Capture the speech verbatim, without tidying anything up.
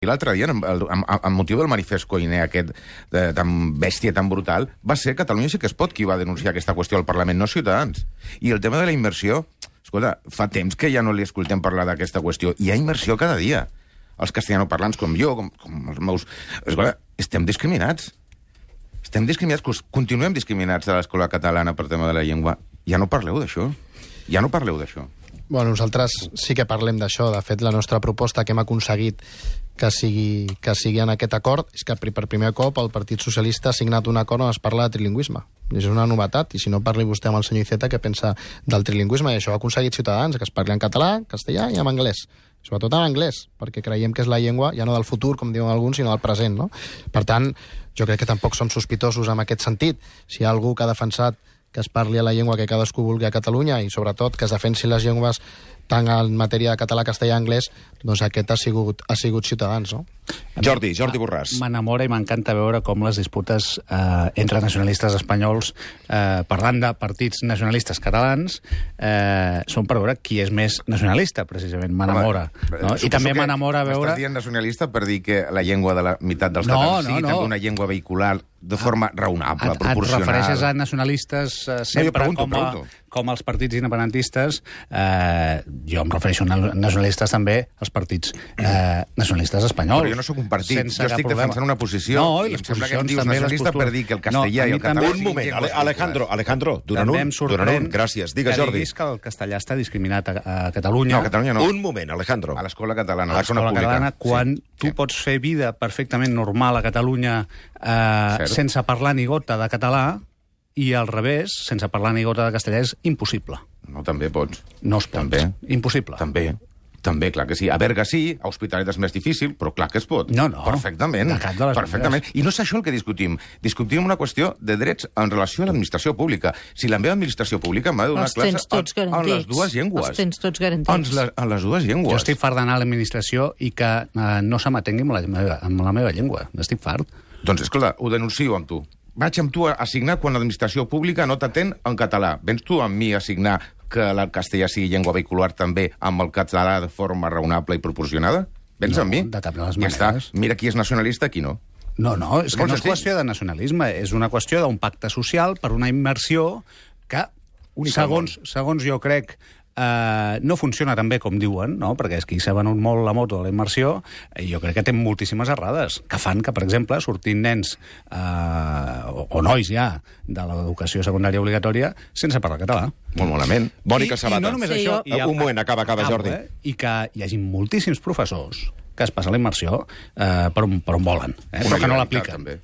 I l'altre dia, amb, amb, amb motiu del manifest Koiné aquest de, tan bèstia, tan brutal, va ser Catalunya sí que es pot qui va denunciar aquesta qüestió al Parlament, no Ciutadans. I el tema de la immersió, escolta, fa temps que ja no li escoltem parlar d'aquesta qüestió. Hi ha immersió cada dia. Els castellanoparlants com jo, com, com els meus... Escolta, estem discriminats. Estem discriminats, continuem discriminats a l'escola catalana per tema de la llengua. Ja no parleu d'això. Ja no parleu d'això. Bueno, nosaltres sí que parlem d'això. De fet, la nostra proposta que hem aconseguit que sigui, que sigui en aquest acord és que per primer cop el Partit Socialista ha signat un acord on es parla de trilingüisme. És una novetat, i si no parli vostè amb el senyor Iceta què pensa del trilingüisme, i això ho ha aconseguit Ciutadans, que es parli en català, castellà i en anglès. Sobretot en anglès, perquè creiem que és la llengua ja no del futur, com diuen alguns, sinó del present, no? Per tant, jo crec que tampoc som sospitosos en aquest sentit. Si hi ha algú que ha defensat que es parli a la llengua que cadascú vulgui a Catalunya i, sobretot, que es defensin les llengües tant en matèria de català, castellà i anglès, doncs aquest ha sigut, ha sigut Ciutadans, no? Jordi, Jordi Borràs. M'enamora i m'encanta veure com les disputes eh, entre nacionalistes espanyols, eh, parlant de partits nacionalistes catalans, eh, són per veure qui és més nacionalista, precisament. M'enamora. No? I també m'enamora veure... Estàs dient nacionalista per dir que la llengua de la meitat dels no, catalans no, sigui no. també una llengua vehicular de forma raonable, et, proporcional. Et refereixes a nacionalistes eh, sempre no, pregunto, com, a, pregunto. com els partits independentistes. Eh, jo em refereixo a nacionalistes també als partits eh, nacionalistes espanyols. Però jo no sóc un partit, sense jo estic problema. defensant una posició. No, i i les em sembla que em posicions dius també, nacionalista postures... per dir que el castellà no, i el català... Un moment, Ale, Alejandro, Alejandro, durant un, durant un, gràcies. Digue, que Jordi. diguis que el castellà està discriminat a, a Catalunya. No, a Catalunya no. Un moment, Alejandro. A l'escola catalana, a A l'escola catalana, quan sí, tu sí. pots fer vida perfectament normal a Catalunya eh, sense parlar ni gota de català, i al revés, sense parlar ni gota de castellà, és impossible. No, també pots. No es pot. També. Impossible. També. També, clar que sí. A Berga sí, a Hospitalet és més difícil, però clar que es pot. No, no. Perfectament. De cap de les Perfectament. maneres. I no és això el que discutim. Discutim una qüestió de drets en relació a l'administració pública. Si la meva administració pública m'ha de donar Els tens tots classe en, en les garantits. dues llengües. Els tens tots garantits. En les, en les dues llengües. Jo estic fart d'anar a l'administració i que eh, no se m'atengui amb, la meva, amb la meva llengua. Estic fart. Doncs, escolta, ho denuncio amb tu. Vaig amb tu a signar quan l'administració pública no t'atén en català. Vens tu amb mi a signar que el castellà sigui llengua vehicular també amb el català de forma raonable i proporcionada? Vens No, amb mi? de cap de les Ja està. maneres. Mira qui és nacionalista, qui no. No, no, és que Molt no és senzill. qüestió de nacionalisme, és una qüestió d'un pacte social per una immersió que, Única al segons, segons jo crec, eh, no funciona tan bé com diuen, no? Perquè és que s'ha venut molt la moto de la immersió, i jo crec que té moltíssimes errades, que fan que, per exemple, sortin nens eh, o, o nois ja de l'educació secundària obligatòria sense parlar català. Molt malament. Mònica I, Sabata. I no només Sí, això... jo- i Un moment, acaba, acaba, acabo, Jordi. Eh? I que hi hagi moltíssims professors que es passen la immersió eh, per, on, per on volen, eh? però que no il·legalitat, l'apliquen. també.